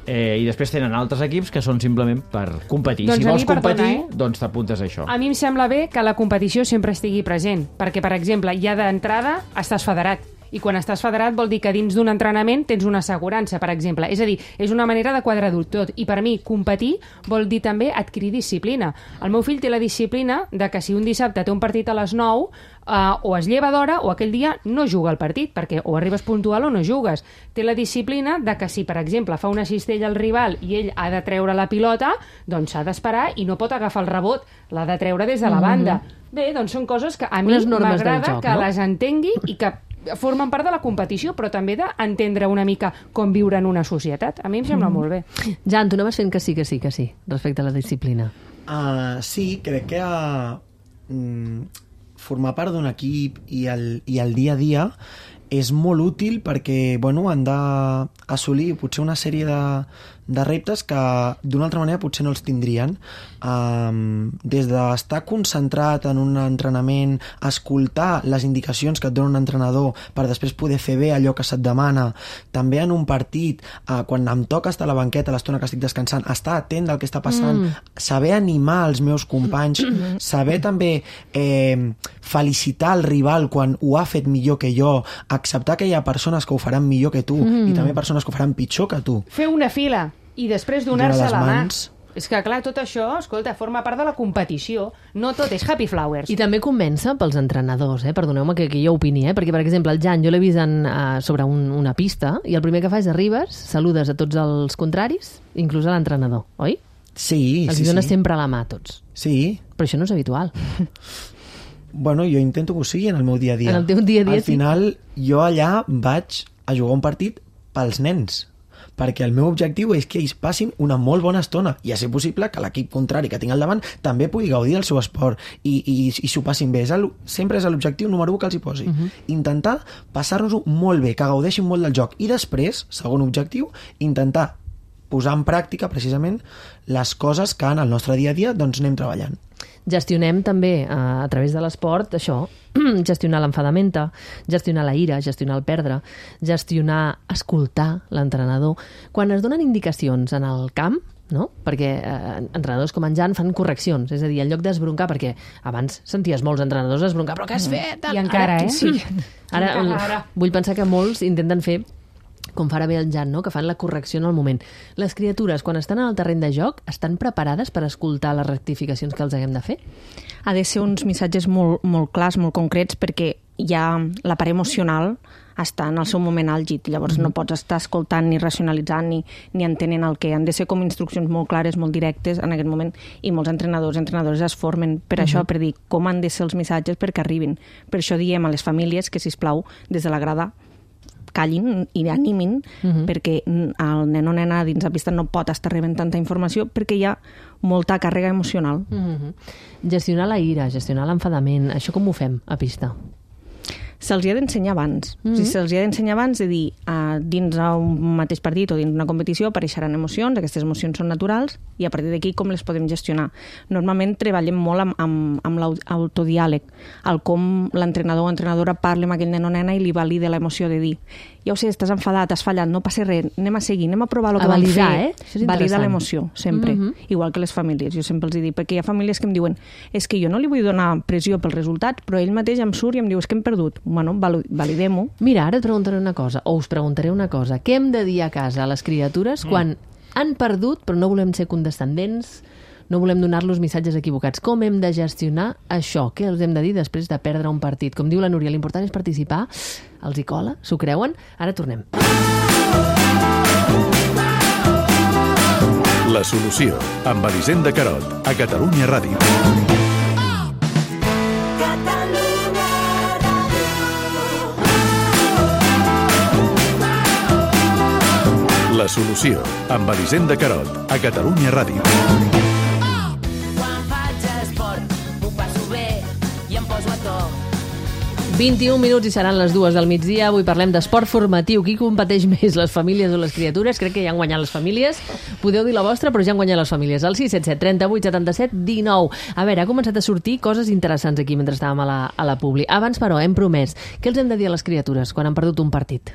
Eh, i després tenen altres equips que són simplement per competir. Doncs si vols mi, perdona, competir, eh? doncs t'apuntes a això. A mi em sembla bé que la competició sempre estigui present, perquè, per exemple, ja d'entrada estàs federat. I quan estàs federat vol dir que dins d'un entrenament tens una assegurança, per exemple. És a dir, és una manera de quadrar-ho tot. I per mi, competir vol dir també adquirir disciplina. El meu fill té la disciplina de que si un dissabte té un partit a les nou, Uh, o es lleva d'hora o aquell dia no juga al partit, perquè o arribes puntual o no jugues. Té la disciplina de que si, per exemple, fa una cistella al rival i ell ha de treure la pilota, doncs s'ha d'esperar i no pot agafar el rebot, l'ha de treure des de la banda. Mm-hmm. Bé, doncs són coses que a mi m'agrada que no? les entengui i que formen part de la competició, però també d'entendre una mica com viure en una societat. A mi em sembla mm. molt bé. Jan, tu anaves fent que sí, que sí, que sí, respecte a la disciplina. Uh, sí, crec que uh, mm, formar part d'un equip i el, i el dia a dia és molt útil perquè bueno, han d'assolir potser una sèrie de, de reptes que d'una altra manera potser no els tindrien. Um, des d'estar concentrat en un entrenament, escoltar les indicacions que et dona un entrenador per després poder fer bé allò que se't demana, també en un partit, uh, quan em toca estar a la banqueta l'estona que estic descansant, estar atent del que està passant, mm. saber animar els meus companys, mm. saber també eh, felicitar el rival quan ho ha fet millor que jo, acceptar que hi ha persones que ho faran millor que tu mm. i també persones que ho faran pitjor que tu. Fer una fila i després donar-se la mà. És que, clar, tot això, escolta, forma part de la competició. No tot és happy flowers. I també comença pels entrenadors, eh? Perdoneu-me que, que jo opini, eh? Perquè, per exemple, el Jan, jo l'he vist en, uh, sobre un, una pista i el primer que fa és arribes, saludes a tots els contraris, inclús a l'entrenador, oi? Sí, Els sí, dones sí. sempre la mà a tots. Sí. Però això no és habitual. Bueno, jo intento que ho sigui en el meu dia a dia. En el teu dia a dia, Al final, sí. jo allà vaig a jugar un partit pels nens, perquè el meu objectiu és que ells passin una molt bona estona i a ser possible que l'equip contrari que tinc al davant també pugui gaudir del seu esport i, i, i s'ho passin bé. És el, sempre és l'objectiu número u que els hi posi. Uh-huh. Intentar passar-nos-ho molt bé, que gaudeixin molt del joc. I després, segon objectiu, intentar posar en pràctica precisament les coses que en el nostre dia a dia doncs anem treballant. Gestionem també, a través de l'esport, això, gestionar l'enfadamenta, gestionar la ira, gestionar el perdre, gestionar, escoltar l'entrenador. Quan es donen indicacions en el camp, no? Perquè eh, entrenadors com en Jan fan correccions, és a dir, en lloc d'esbroncar, perquè abans senties molts entrenadors esbroncar, però què has fet? I encara, ara, eh? Sí. Ara, encara, ara. Vull pensar que molts intenten fer com farà bé el Jan, no? Que fan la correcció en el moment. Les criatures, quan estan en el terreny de joc, estan preparades per escoltar les rectificacions que els haguem de fer? Ha de ser uns missatges molt, molt clars, molt concrets, perquè ja la part emocional està en el seu moment àlgid. Llavors mm-hmm. no pots estar escoltant ni racionalitzant ni, ni entenent el que han de ser com instruccions molt clares, molt directes en aquest moment, i molts entrenadors i entrenadores es formen per mm-hmm. això, per dir com han de ser els missatges perquè arribin. Per això diem a les famílies que, sisplau, des de la grada callin i animin, uh-huh. perquè el nen o nena dins la pista no pot estar rebent tanta informació perquè hi ha molta càrrega emocional. Uh-huh. Gestionar la ira, gestionar l'enfadament, això com ho fem a pista? Se'ls hi ha d'ensenyar abans. Uh-huh. O sigui, se'ls hi ha d'ensenyar abans de dir, uh, dins un mateix partit o dins una competició apareixeran emocions, aquestes emocions són naturals, i a partir d'aquí com les podem gestionar. Normalment treballem molt amb, amb, amb l'autodiàleg, el com l'entrenador o entrenadora parla amb aquell nen o nena i li valida l'emoció de dir, ja ho sé, estàs enfadat, has fallat, no passa res, anem a seguir, anem a provar el que vam fer. Eh? Això és validar l'emoció, sempre. Uh-huh. Igual que les famílies, jo sempre els dic, perquè hi ha famílies que em diuen, és que jo no li vull donar pressió pels resultats, però ell mateix em surt i em diu, és que hem perdut. Bueno, validem-ho. Mira, ara et preguntaré una cosa, o us preguntaré una cosa. Què hem de dir a casa a les criatures quan mm. han perdut, però no volem ser condescendents, no volem donar-los missatges equivocats? Com hem de gestionar això? Què els hem de dir després de perdre un partit? Com diu la Núria, l'important és participar. Els hi cola? S'ho creuen? Ara tornem. La solució, amb Elisenda Carot, a Catalunya Ràdio. La solució, amb Elisenda Carot, a Catalunya Ràdio. Quan faig esport, m'ho passo bé i em poso a to. vint-i-un minuts i seran les dues del migdia. Avui parlem d'esport formatiu. Qui competeix més, les famílies o les criatures? Crec que ja han guanyat les famílies. Podeu dir la vostra, però ja han guanyat les famílies. El sis set set, trenta-vuit, setanta-set, dinou. A veure, ha començat a sortir coses interessants aquí mentre estàvem a la, a la publi. Abans, però, hem promès. Què els hem de dir a les criatures quan han perdut un partit?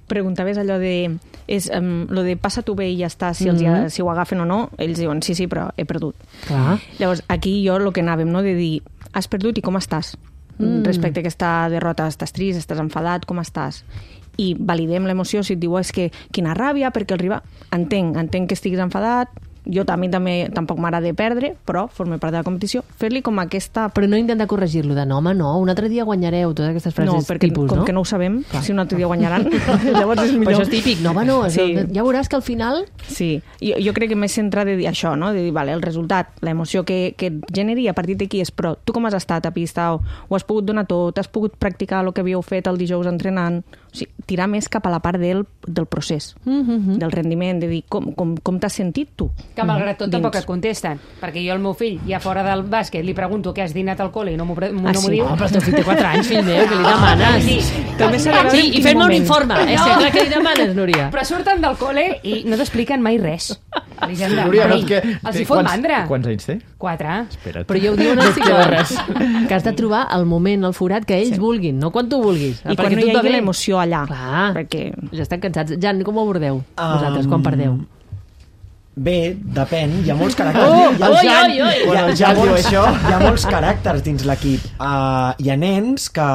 Preguntaves allò de és, um, lo de passa tu bé i ja està, si, els, mm-hmm. si ho agafen o no, ells diuen sí, sí, però he perdut. Clar. Llavors, aquí jo el que anàvem, no, de dir has perdut i com estàs? mm. respecte a aquesta derrota. Estàs trist, estàs enfadat, com estàs? I validem l'emoció. Si et diu, és que quina ràbia, perquè el rival... Entenc, entenc que estiguis enfadat, jo també, també tampoc m'agrada perdre, però forma part de la competició. Fer-li com aquesta... Però no intentar corregir-lo de no, home, no, un altre dia guanyareu, totes aquestes frases no, perquè, tipus, com no? que no ho sabem, clar. Si un altre dia guanyaran, llavors és millor. Però això és típic, no, home, no, sí. ja veuràs que al final... Sí, jo, jo crec que m'he centrat de dir això, no? De dir, vale, el resultat, l'emoció que, que et generi a partir d'aquí és, però tu com has estat a pista, o, o has pogut donar tot, has pogut practicar el que havíeu fet el dijous entrenant, o sigui, tirar més cap a la part del, del procés, mm-hmm. del rendiment, de dir com, com, com t'has sentit tu. Que malgrat tot dins. tampoc et contesten, perquè jo al meu fill, ja fora del bàsquet, li pregunto què has dinat al col·le i no m'ho Ah, no sí? diu. Oh, però el teu fill té quatre anys, fill meu, que li demanes? Sí, També s'ha de veure Sí, en i quin fem-me un moment. informe, eh? No. Sí, clar que li demanes, Núria. Però surten del col·le i no t'expliquen mai res. Elisenda, Núria, no, mai. és que... Els hi fot quants- mandra. Quants anys té? Quatre. Espera't. Però ja ho diuen els psicòlegs, que has de trobar el moment, el forat que ells sí. vulguin, no quan tu vulguis. I perquè quan no tu hi et va hagi bé. l'emoció allà. Clar, Perquè... ja estan cansats. Jan, com ho abordeu vosaltres quan perdeu? Bé, depèn, hi ha molts caràcters. Oh, hi ha, oi, Jan- oi, oi. hi ha, Quan el hi ha, Jan diu molts, això. hi ha molts caràcters dins l'equip. Uh, hi ha nens que,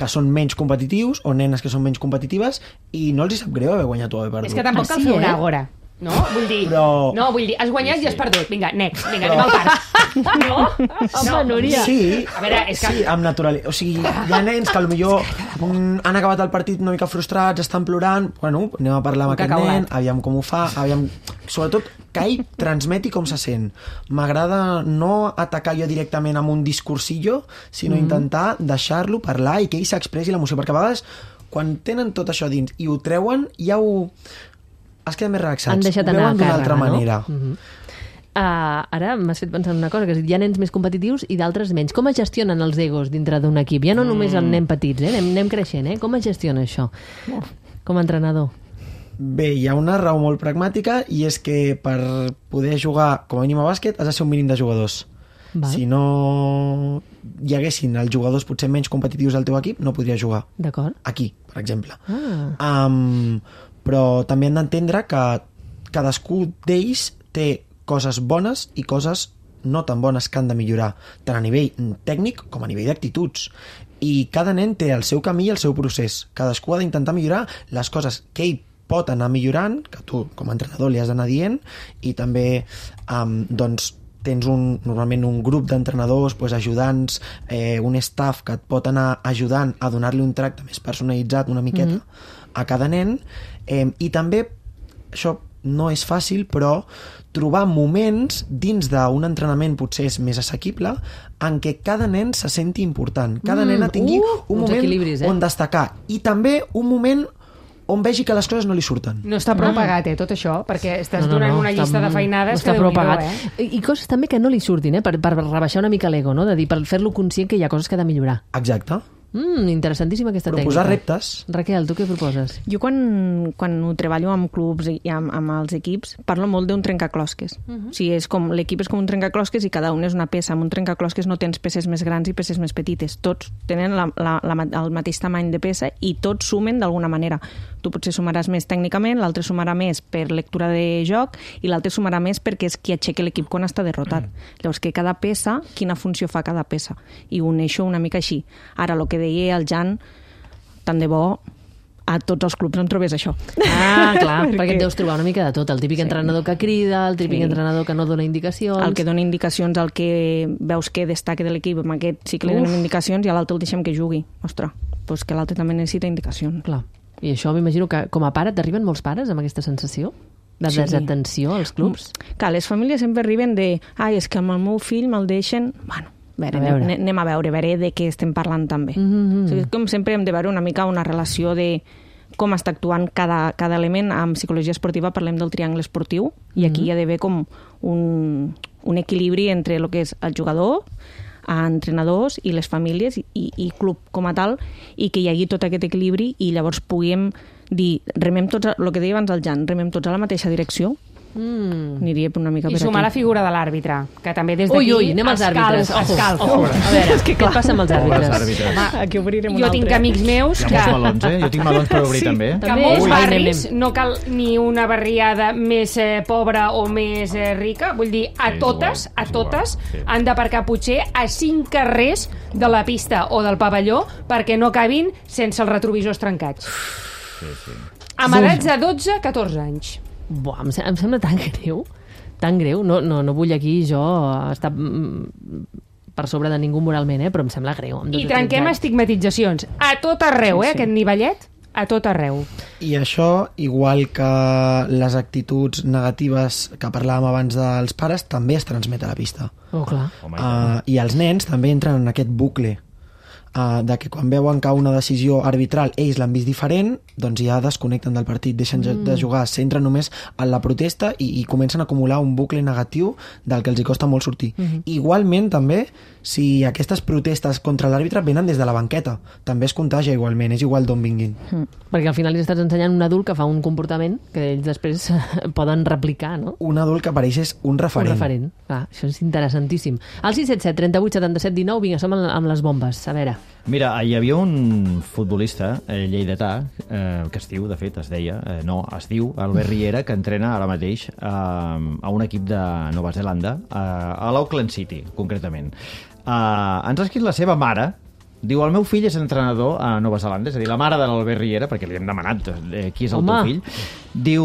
que són menys competitius o nenes que són menys competitives i no els hi sap greu haver guanyat o haver perdut. És que tampoc Ah, cal sí, fer una eh? àgora. No? Vull dir, Però- no, vull dir, has guanyat i has perdut. Vinga, next, vinga, anem al parc. No? Home, Núria. Sí, A veure, és que... sí, amb naturalitat. O sigui, hi ha nens que potser mm, han acabat el partit una mica frustrats, estan plorant, bueno, anem a parlar amb Un aquest cacaulat. nen, aviam com ho fa, aviam... Sobretot que ell transmeti com se sent. M'agrada no atacar jo directament amb un discursillo, sinó mm. intentar deixar-lo parlar i que ell s'expressi l'emoció, perquè a vegades quan tenen tot això dins i ho treuen, ja ho... es queden més relaxats. Han deixat ho anar veuen a d'una càrrega, altra no? manera. Uh-huh. Uh, ara m'has fet pensar en una cosa, que hi ha nens més competitius i d'altres menys. Com es gestionen els egos dintre d'un equip? Ja no només el nen petits, eh? anem, anem creixent, eh? Com es gestiona això? Com a entrenador. Bé, hi ha una raó molt pragmàtica i és que per poder jugar com a mínim a bàsquet has de ser un mínim de jugadors. Val. Si no hi haguessin els jugadors potser menys competitius al teu equip, no podries jugar. D'acord. Aquí, per exemple. Ah. Um, però també han d'entendre que cadascú d'ells té coses bones i coses no tan bones que han de millorar, tant a nivell tècnic com a nivell d'actituds. I cada nen té el seu camí i el seu procés. Cadascú ha d'intentar millorar les coses que ell pot anar millorant, que tu com a entrenador li has d'anar dient, i també um, doncs, tens un, normalment un grup d'entrenadors, pues, ajudants, eh, un staff que et pot anar ajudant a donar-li un tracte més personalitzat una miqueta mm-hmm. a cada nen, eh, i també això no és fàcil, però trobar moments dins d'un entrenament potser és més assequible en què cada nen se senti important, cada Mm, nena tingui uh, un uns moment equilibris, eh? on destacar i també un moment on vegi que les coses no li surten. No està prou pagat, eh, tot això, perquè estàs donant una està- llista de feinades no està que prou Déu-n'hi-do, pagat. eh? I, I coses també que no li surtin, eh? per, per rebaixar una mica l'ego, no? De dir, per fer-lo conscient que hi ha coses que ha de millorar. Exacte. Mm, interessantíssima aquesta Proposar tècnica. reptes. Raquel, tu què proposes? Jo quan, quan ho treballo amb clubs i amb, amb els equips parlo molt d'un trencaclosques. Uh-huh. O sigui, és com, l'equip és com un trencaclosques i cada un és una peça. Amb un trencaclosques no tens peces més grans i peces més petites. Tots tenen la, la, la, el mateix tamany de peça i tots sumen d'alguna manera. Tu potser sumaràs més tècnicament, l'altre sumarà més per lectura de joc i l'altre sumarà més perquè és qui aixeca l'equip quan està derrotat. Mm. Llavors, que cada peça, quina funció fa cada peça? I uneixo una mica així. Ara, el que deia el Jan, tant de bo a tots els clubs on trobés això. Ah, clar, perquè... Perquè- perquè et deus trobar una mica de tot. El típic Sí. entrenador que crida, el típic Sí. entrenador que no dona indicacions... El que dona indicacions, el que veus que destaca de l'equip, amb aquest sí que li donem Uf. indicacions i a l'altre el deixem que jugui. Ostres, doncs que l'altre també necessita indicacions. Clar. I això m'imagino que com a pare t'arriben molts pares amb aquesta sensació de Sí. desatenció als clubs? Clar, les famílies sempre arriben de ai, és que amb el meu fill me'l deixen... Bueno, a veure, A veure. anem- anem a veure, a veure de què estem parlant també. Mm-hmm. O sigui, com sempre hem de veure una mica una relació de com està actuant cada, cada element. En psicologia esportiva parlem del triangle esportiu i aquí hi ha d'haver com un, un equilibri entre el que és el jugador, a entrenadors i les famílies i, i club com a tal, i que hi hagi tot aquest equilibri i llavors puguem dir, remem tots, el que deia abans el Jan, remem tots a la mateixa direcció Mm. Aniria una mica I per sumar aquí. la figura de l'àrbitre, que també des d'aquí Ui, ui, anem als àrbitres. es calfa. Ojo, ojo. A veure, què et passa amb els àrbitres? Els àrbitres. Aquí obrirem un Jo altre. tinc amics meus Hi ha que... molts melons, eh? Jo tinc melons per obrir, Sí. també. que També? molts Ui. barris Anem, no cal ni una barriada més eh, pobra o més eh, rica, vull dir, a Sí, és totes, igual, a és totes igual, sí. han d'aparcar potser a cinc carrers de la pista o del pavelló perquè no acabin sense els retrovisors trencats. Sí, sí. Amb edats de dotze a catorze anys. Buah, em, se- em sembla tan greu, tan greu. No, no, no vull aquí jo estar mm, per sobre de ningú moralment, eh? Però em sembla greu. amb I dotze, trenquem tretze anys. estigmatitzacions. A tot arreu, eh, aquest nivellet? A tot arreu. I això, igual que les actituds negatives que parlàvem abans dels pares, també es transmet a la pista. Oh, clar. Home, i tant. Uh, I els nens també entren en aquest bucle uh, de que quan veuen que una decisió arbitral ells l'han vist diferent, doncs ja desconnecten del partit, deixen mm. de jugar, s'entren només en la protesta i, i comencen a acumular un bucle negatiu del que els hi costa molt sortir. Mm -hmm. Igualment, també, si aquestes protestes contra l'àrbitre venen des de la banqueta, també es contagia igualment, és igual d'on vinguin. Mm. Perquè al final li estàs ensenyant un adult que fa un comportament que ells després poden replicar, no? Un adult que apareix és un referent. Un referent. Clar, això és interessantíssim. Al sis set set, trenta-vuit, setanta-set, dinou, vinga, som amb les bombes. A veure. Mira, hi havia un futbolista eh, lleidatà, eh, que es diu, de fet, es deia, eh, no, es diu Albert Riera, que entrena ara mateix eh, a un equip de Nova Zelanda, eh, a l'Auckland City, concretament. Eh, ens ha escrit la seva mare. Diu, el meu fill és entrenador a Nova Zelanda, és a dir, la mare de l'Albert Riera, perquè li hem demanat eh, qui és el Home. teu fill. Diu,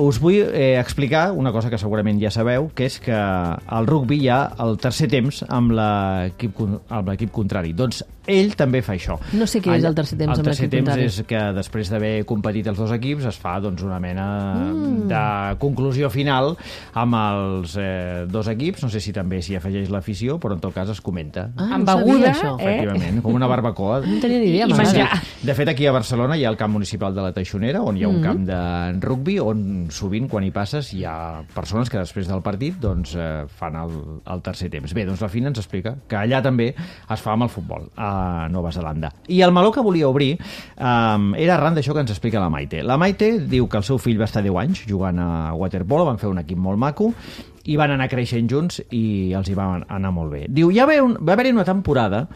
us vull eh, explicar una cosa que segurament ja sabeu, que és que al rugby hi ha el tercer temps amb l'equip con- amb l'equip contrari. Doncs ell també fa això. No sé què és el tercer temps el amb tercer l'equip temps contrari. és que després d'haver competit els dos equips es fa doncs, una mena Mm. de conclusió final amb els eh, dos equips. No sé si també s'hi afegeix l'afició, però en tot cas es comenta. Ah, Amb no sabia, beguda, això. eh? Efectivament, com una barbacoa. No tenia ni idea, I mare. menjar. De fet, aquí a Barcelona hi ha el camp municipal de la Teixonera, on hi ha un Mm. camp de rugby, on sovint, quan hi passes, hi ha persones que després del partit doncs, eh, fan el, el tercer temps. Bé, doncs la Fina ens explica que allà també es fa amb el futbol, a Nova Zelanda. I el meló que volia obrir eh, era arran d'això que ens explica la Maite. La Maite diu que el seu fill va estar deu anys jugant a waterpolo, van fer un equip molt maco, i van anar creixent junts i els hi va anar molt bé. Diu, ja va, un, va haver-hi una temporada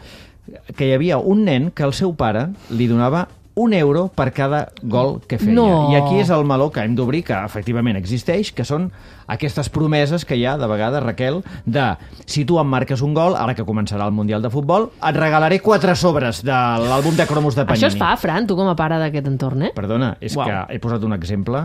que hi havia un nen que el seu pare li donava un euro per cada gol que feia. No. I aquí és el meló que hem d'obrir, que efectivament existeix, que són aquestes promeses que hi ha, de vegades, Raquel, de si tu em marques un gol, ara que començarà el Mundial de Futbol, et regalaré quatre sobres de l'àlbum de cromos de Panini. Això es fa, Fran, tu com a pare d'aquest entorn, eh? Perdona, és Uau. que he posat un exemple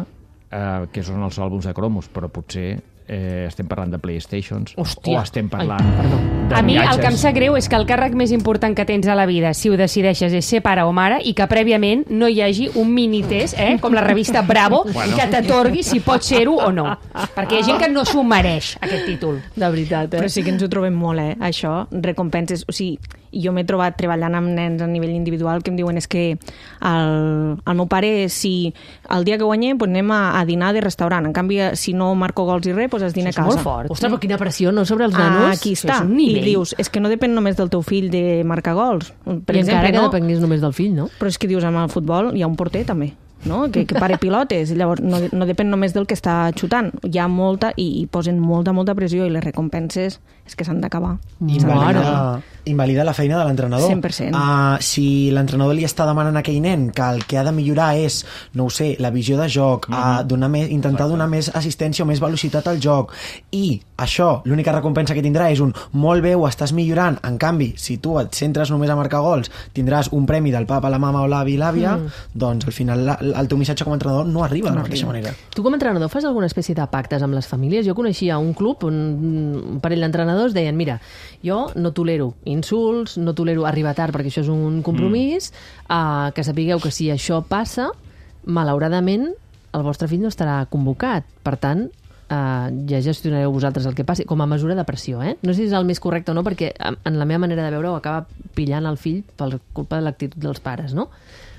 eh, que són els àlbums de cromos, però potser eh, estem parlant de Playstations Hòstia. o estem parlant Ai, perdó. de A mi el que em viatges. sap greu és que el càrrec més important que tens a la vida, si ho decideixes, és ser pare o mare i que prèviament no hi hagi un minitest, eh, com la revista Bravo, Bueno. que t'atorgui si pots ser-ho o no. Perquè hi ha gent que no s'ho mereix, aquest títol. De veritat, eh? Però sí que ens ho trobem molt, eh? Això, recompenses... O sigui, jo m'he trobat treballant amb nens a nivell individual que em diuen és que el, el meu pare, si el dia que guanyem, doncs anem a, a dinar de restaurant. En canvi, si no marco gols i res, doncs es dina a És casa. molt fort. Ostres, però quina pressió, no?, sobre els Ah, nanos. aquí Això està. és un I nivell. dius, és que no depèn només del teu fill de marcar gols. Per I exemple, encara que no? depengués només del fill, no? Però és que dius, amb el futbol hi ha un porter també, no? que, que pare pilotes. Llavors, no, no depèn només del que està xutant. Hi ha molta, i, i posen molta, molta pressió, i les recompenses és que s'han d'acabar. Invalida, invalida la feina de l'entrenador. cent per cent. Uh, si l'entrenador li està demanant a aquell nen que el que ha de millorar és, no ho sé, la visió de joc, mm -hmm. uh, donar més, intentar donar més assistència o més velocitat al joc, i això, l'única recompensa que tindrà és un molt bé, ho estàs millorant. En canvi, si tu et centres només a marcar gols, tindràs un premi del papa, la mama o l'avi i l'àvia, mm. doncs al final la, el teu missatge com a entrenador no arriba de la mateixa manera. Tu com a entrenador fas alguna espècie de pactes amb les famílies? Jo coneixia un club on un parell d'entrenadors deien, mira, jo no tolero insults, no tolero arribar tard perquè això és un compromís, mm. uh, que sapigueu que si això passa, malauradament el vostre fill no estarà convocat. Per tant, Uh, ja gestionareu vosaltres el que passi, com a mesura de pressió, eh? No sé si és el més correcte o no, perquè en la meva manera de veure ho acaba pillant el fill per culpa de l'actitud dels pares, no?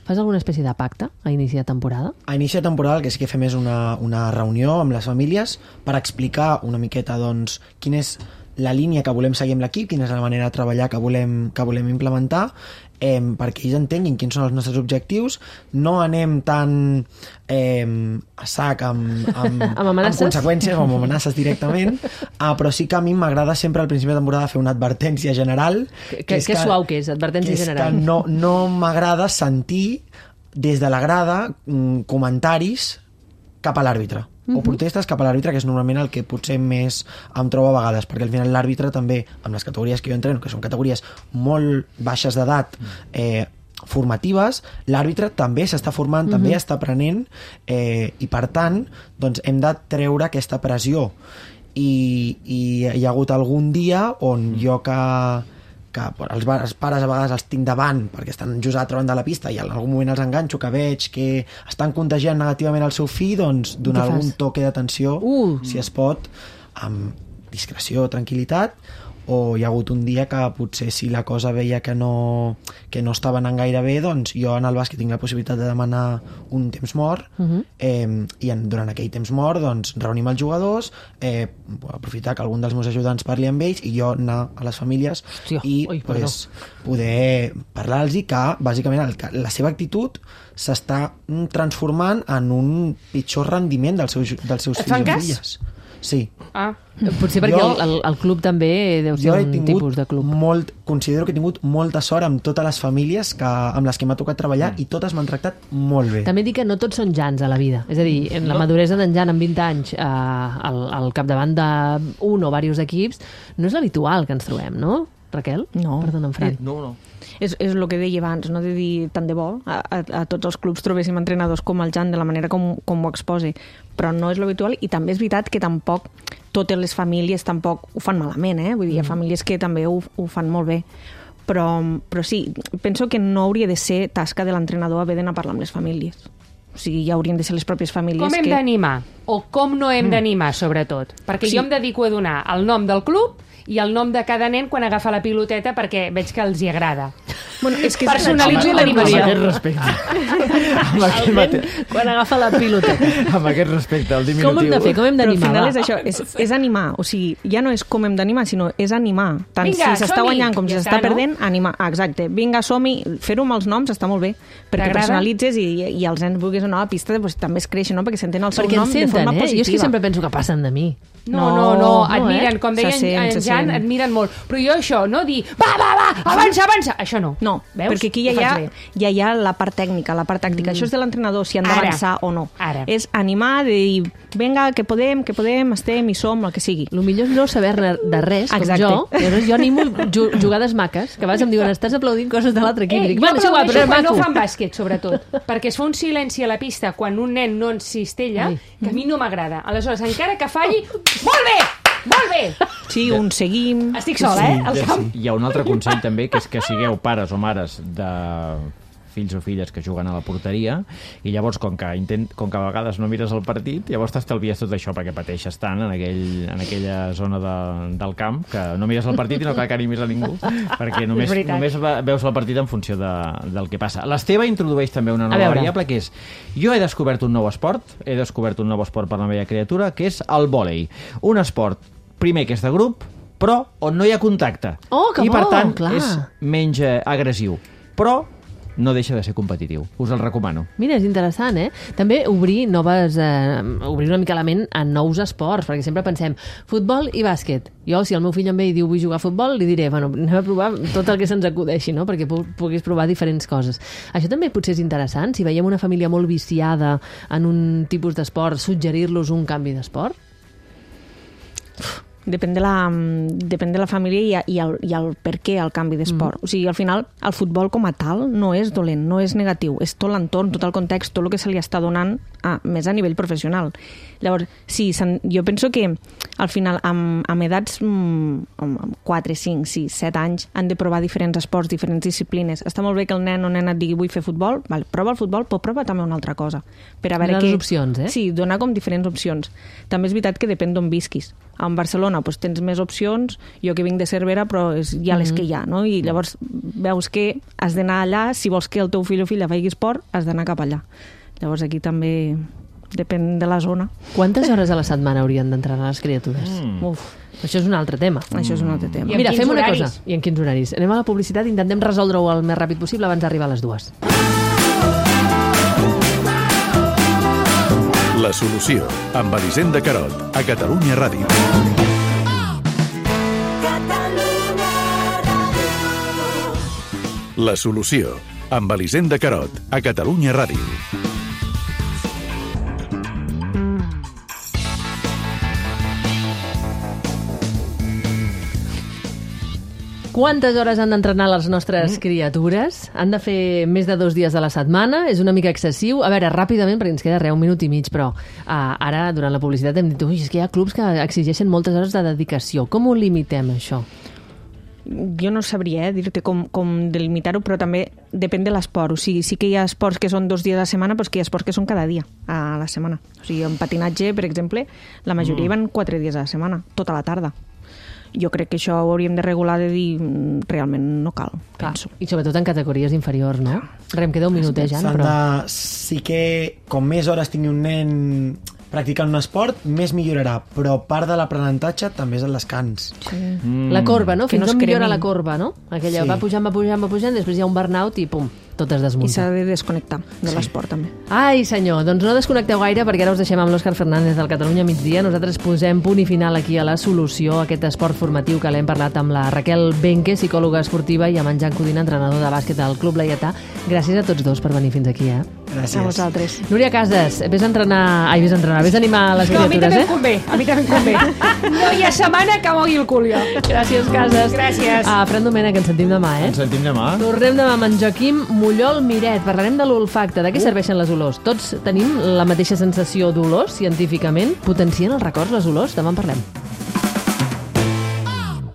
Fas alguna espècie de pacte a inici de temporada? A inici de temporada el que sí que fem és una, una reunió amb les famílies per explicar una miqueta doncs, quin és la línia que volem seguir amb l'equip, quina és la manera de treballar que volem, que volem implementar, eh, perquè ells entenguin quins són els nostres objectius, no anem tan eh, a sac amb, amb, Amb amenaces? amb conseqüències o amb amenaces directament, ah, però sí que a mi m'agrada sempre al principi de temporada fer una advertència general. Que, que, que suau que és, advertència que és general. Que no, no m'agrada sentir des de la grada mm, comentaris cap a l'àrbitre. Uh -huh. O protestes cap a l'àrbitre, que és normalment el que potser més em trobo a vegades, perquè al final l'àrbitre també, amb les categories que jo entreno, que són categories molt baixes d'edat, eh, formatives, l'àrbitre també s'està formant, uh-huh. també està aprenent, eh, i per tant doncs hem de treure aquesta pressió. I, i hi ha hagut algun dia on jo que que els, els pares a vegades els tinc davant perquè estan just a l'altra banda de la pista i en algun moment els enganxo, que veig que estan contagiant negativament el seu fill, doncs donar algun toque d'atenció, uh. si es pot, amb discreció, tranquil·litat. O hi ha hagut un dia que potser si la cosa veia que no, que no estava anant gaire bé, doncs jo en el bàsquet tinc la possibilitat de demanar un temps mort, uh-huh. eh, i en, durant aquell temps mort doncs reunim els jugadors, eh, aprofitar que algun dels meus ajudants parli amb ells i jo anar a les famílies Hòstia, i oi, pues, poder parlar-los que bàsicament el, que la seva actitud s'està transformant en un pitjor rendiment dels seus, dels seus Et fills fan i cas? filles. Sí. Ah. Potser perquè Jo- el, el, el club també deu ser Jo he un tingut tipus de club. molt, considero que he tingut molta sort amb totes les famílies que, amb les que m'ha tocat treballar, i totes m'han tractat molt bé. També dic que no tots són Jans a la vida. És a dir, en la maduresa d'en Jan amb vint anys eh, al, al capdavant d'un o diversos equips no és l'habitual que ens trobem, no? Raquel? No. Perdona'm, Fran. No, no. És, és el que deia abans, no de dir tant de bo a, a, a tots els clubs trobéssim entrenadors com el Jan de la manera com, com ho exposa, però no és l'habitual, i també és veritat que tampoc totes les famílies tampoc ho fan malament, eh? Vull dir, hi ha famílies que també ho, ho fan molt bé, però, però sí, penso que no hauria de ser tasca de l'entrenador haver d'anar a parlar amb les famílies. O sigui, ja haurien de ser les pròpies famílies Com hem que... d'animar? O com no hem d'animar, sobretot? Perquè Sí. jo em dedico a donar el nom del club i el nom de cada nen quan agafa la piloteta perquè veig que els hi agrada. Bueno, és que Personalitzo Amb l'animació. aquest respecte. amb, aquest mate... Quan agafa la pilota. amb aquest respecte, el diminutiu. Com hem de fer? Com hem Però al d'animar? final va? és això, és, és animar. O sigui, ja no és com hem d'animar, sinó és animar. Tant Vinga, si s'està som-hi! guanyant com si Ja s'està està, no? perdent, animar. Ah, exacte. Vinga, som-hi. Fer-ho amb els noms està molt bé, perquè T'agrada? personalitzes i, i els nens vulguis anar a la pista, doncs, també es creixen, no? Perquè senten el seu Perquè nom ens de senten, forma eh? positiva. Jo és que sempre penso que passen de mi. No, no, no, No, admiren, eh? com deia Se sent, en, se en Jan, sent. admiren molt. Però jo això, no dir, va, va, va, avança, avança, això no. No, Veus? perquè aquí ja Ho hi, ha, faig bé. ja hi ha la part tècnica, la part tàctica. Mm. Això és de l'entrenador, si han Ara. d'avançar o no. Ara. És animar, de dir, vinga, que podem, que podem, estem, hi som, el que sigui. El millor és no saber-ne de res, com Exacte. jo. Llavors jo animo ju- jugades maques, que a vegades em diuen, estàs aplaudint coses de l'altre equip. Eh, I dic, jo bueno, és igual, aplaudeixo però és quan maco. no fan bàsquet, sobretot, perquè es fa un silenci a la pista quan un nen no ens cistella, Ai. que a mi no m'agrada. Aleshores, encara que falli, molt bé, molt bé! Sí, un seguim... Estic sola, eh, al Sí, camp. hi ha un altre consell també, que és que sigueu pares o mares de fills o filles que juguen a la porteria, i llavors com que, intent, com que a vegades no mires el partit, llavors t'estalvies tot això perquè pateixes tant en, aquell, en aquella zona de, del camp que no mires el partit i no cal que animis a ningú perquè només, És veritat. només va- veus el partit en funció de, del que passa. L'Esteve introdueix també una A nova veure. variable, que és: jo he descobert un nou esport, he descobert un nou esport per la meva criatura, que és el vòlei. Un esport, primer, que és de grup, però on no hi ha contacte. Oh, que I per bo, tant clar. és menys eh, agressiu, però no deixa de ser competitiu. Us el recomano. Mira, és interessant, eh? També obrir noves... Eh, obrir una mica la ment a nous esports, perquè sempre pensem futbol i bàsquet. Jo, si el meu fill em ve i diu vull jugar a futbol, li diré, bueno, anem a provar tot el que se'ns acudeixi, no? Perquè pu puguis provar diferents coses. Això també potser és interessant, si veiem una família molt viciada en un tipus d'esport, suggerir-los un canvi d'esport? Depèn de la, depèn de la família i, i, el, i el per què el canvi d'esport. Mm. O sigui, al final, el futbol com a tal no és dolent, no és negatiu, és tot l'entorn, tot el context, tot el que se li està donant a, més a nivell professional. Llavors, sí, jo penso que al final, amb, amb edats mm, amb quatre, cinc, sis, set anys, han de provar diferents esports, diferents disciplines. Està molt bé que el nen o nena et digui vull fer futbol, vale, prova el futbol, però prova també una altra cosa. Per a veure Donar què... opcions, eh? Sí, donar com diferents opcions. També és veritat que depèn d'on visquis. A Barcelona doncs, tens més opcions, jo que vinc de Cervera, però és ja les que hi ha, no? I llavors veus que has d'anar allà, si vols que el teu fill o filla faci esport, has d'anar cap allà. Llavors aquí també depèn de la zona. Quantes hores a la setmana haurien d'entrenar les criatures? Mm. Uf, Això és un altre tema. això és un altre tema. I en Mira, quins fem una horaris? cosa. I en quins horaris? Anem a la publicitat i intentem resoldre-ho el més ràpid possible abans d'arribar a les dues. La solució, amb Elisenda Carot, a Catalunya Ràdio. La solució, amb Elisenda Carot, a Catalunya Ràdio. Quantes hores han d'entrenar les nostres criatures? Han de fer més de dos dies a la setmana? És una mica excessiu? A veure, ràpidament, perquè ens queda res, un minut i mig, però uh, ara, durant la publicitat, hem dit ui, és que hi ha clubs que exigeixen moltes hores de dedicació. Com ho limitem, això? Jo no sabria eh, dir-te com, com delimitar-ho, però també depèn de l'esport. O sigui, sí que hi ha esports que són dos dies a la setmana, però que hi ha esports que són cada dia a la setmana. O sigui, en patinatge, per exemple, la majoria mm. van quatre dies a la setmana, tota la tarda. Jo crec que això ho hauríem de regular, de dir realment no cal, Clar. penso. I sobretot en categories inferiors, no? Re, em queda un minutet, Jan, S'han però... de... Sí que com més hores tingui un nen practicant un esport, més millorarà, però part de l'aprenentatge també és el descans. Sí. Mm. La corba, no? Que Fins no es on millora cremin. la corba, no? Aquella Sí. va pujant, va pujant, va pujant, després hi ha un burnout i pum, tot es I desmunta. s'ha de desconnectar de Sí. l'esport, també. Ai, senyor, doncs no desconnecteu gaire perquè ara us deixem amb l'Òscar Fernández del Catalunya Migdia. Nosaltres posem punt i final aquí a La Solució, aquest esport formatiu que l'hem parlat amb la Raquel Benque, psicòloga esportiva, i amb en Jan Codina, entrenador de bàsquet del Club Laietà. Gràcies a tots dos per venir fins aquí, eh? Gràcies. A vosaltres. Núria Casas, vés a entrenar... Ai, vés a entrenar, vés a animar les No, a mi criatures, també eh? em convé, a mi també em convé. No hi ha setmana que mogui el cul, jo. Gràcies, Casas. Gràcies. A Fran Domènech, ens sentim demà, eh? Ens sentim demà. Tornem demà amb en Joaquim Mullol Miret. Parlarem de l'olfacte. De què serveixen les olors? Tots tenim la mateixa sensació d'olors, científicament? Potencien els records, les olors? Demà en parlem.